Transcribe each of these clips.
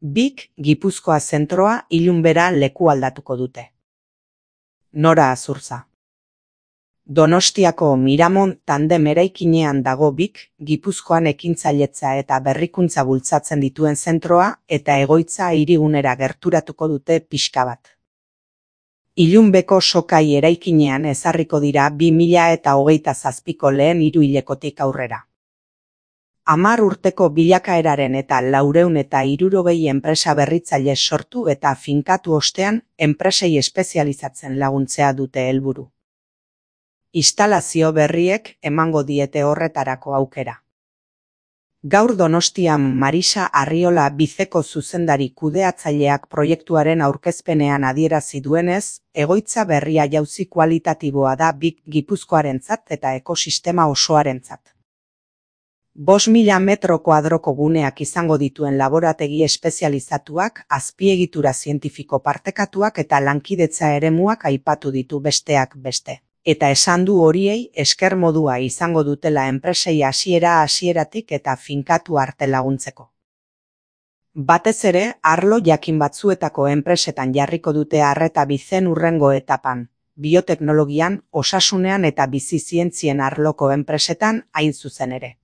BIK Gipuzkoa zentroa ilunbera leku aldatuko dute. Nora Azurza. Donostiako Miramon tandem eraikinean dago BIK Gipuzkoan ekintzailetza eta berrikuntza bultzatzen dituen zentroa eta egoitza hirigunera gerturatuko dute pixka bat. Ilunbeko Sokai eraikinean ezarriko dira 2027ko lehen hiruhilekotik aurrera. 10 urteko bilakaeraren eta 460 enpresa berritzaile sortu eta finkatu ostean enpresei espezializatzen laguntzea dute helburu. Instalazio berriek emango diete horretarako aukera. Gaur Donostian Marisa Arriola Bizeko zuzendari kudeatzaileak proiektuaren aurkezpenean adierazi duenez, egoitza berria jauzi kualitatiboa da BIK Gipuzkoarentzat eta ekosistema osoarentzat. 5.000 metro kuadroko guneak izango dituen laborategi espezializatuak, azpiegitura zientifiko partekatuak eta lankidetza eremuak aipatu ditu besteak beste. Eta esan du horiei esker modua izango dutela enpresei hasieratik eta finkatu arte laguntzeko. Batez ere, arlo jakin batzuetako enpresetan jarriko dute arreta bizen hurrengo etapan, bioteknologian, osasunean eta bizi zientzien arloko enpresetan hain zuzen ere.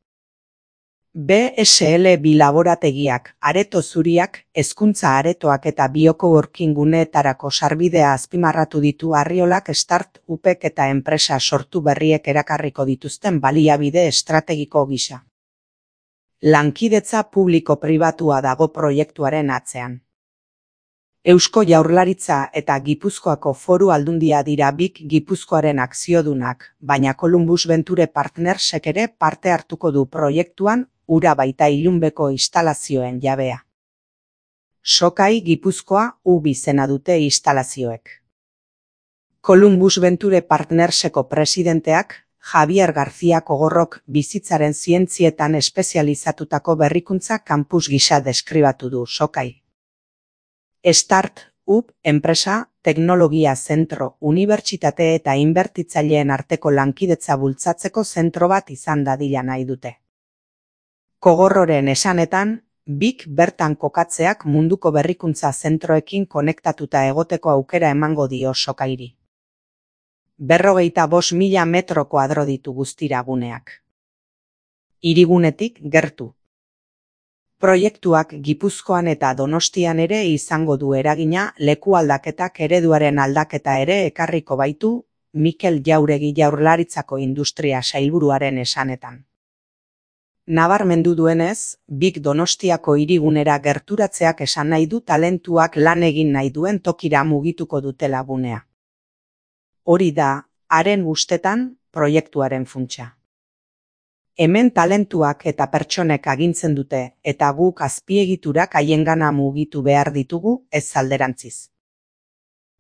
BSL bi laborategiak, areto zuriak, hezkuntza aretoak eta biokoworking guneetarako sarbidea azpimarratu ditu Arriolak start-upek eta enpresa sortu berriek erakarriko dituzten baliabide estrategiko gisa. Lankidetza publiko-pribatua dago proiektuaren atzean. Eusko Jaurlaritza eta Gipuzkoako Foru Aldundia dira BIK Gipuzkoaren akziodunak, baina Columbus Venture Partnersek ere parte hartuko du proiektuan, ura baita ilunbeko instalazioen jabea. Sokai Gipuzkoa izena dute instalazioek. Columbus Venture Partnerseko presidenteak, Javier García Kogorrok bizitzaren zientzietan espezializatutako berrikuntza campus gisa deskribatu du Sokai. Start-up, enpresa, teknologia zentro, unibertsitate eta inbertitzaileen arteko lankidetza bultzatzeko zentro bat izan dadila nahi dute. Kogorroren esanetan, BIK bertan kokatzeak munduko berrikuntza zentroekin konektatuta egoteko aukera emango dio Sokairi. 55.000 metro kuadro ditu guztira guneak. Hirigunetik gertu. Proiektuak Gipuzkoan eta Donostian ere izango du eragina, leku aldaketak ereduaren aldaketa ere ekarriko baitu, Mikel Jauregi Jaurlaritzako industria sailburuaren esanetan. Nabarmendu duenez, BIK Donostiako hirigunera gerturatzeak esan nahi du talentuak lan egin nahi duen tokira mugituko dutela gunea. Hori da, haren ustetan, proiektuaren funtsa. Hemen talentuak eta pertsonek agintzen dute, eta guk azpiegiturak haiengana mugitu behar ditugu, ez alderantziz.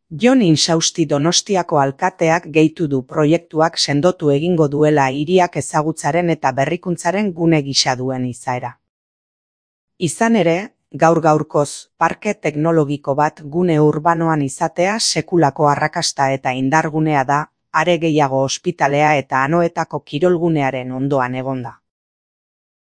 Jon Insausti Donostiako alkateak gehitu du proiektuak sendotu egingo duela hiriak ezagutzaren eta berrikuntzaren gune gisa duen izaera. Izan ere, gaur-gaurkoz, parke teknologiko bat gune urbanoan izatea sekulako arrakasta eta indargunea da, are gehiago ospitalea eta Anoetako kirolgunearen ondoan egonda.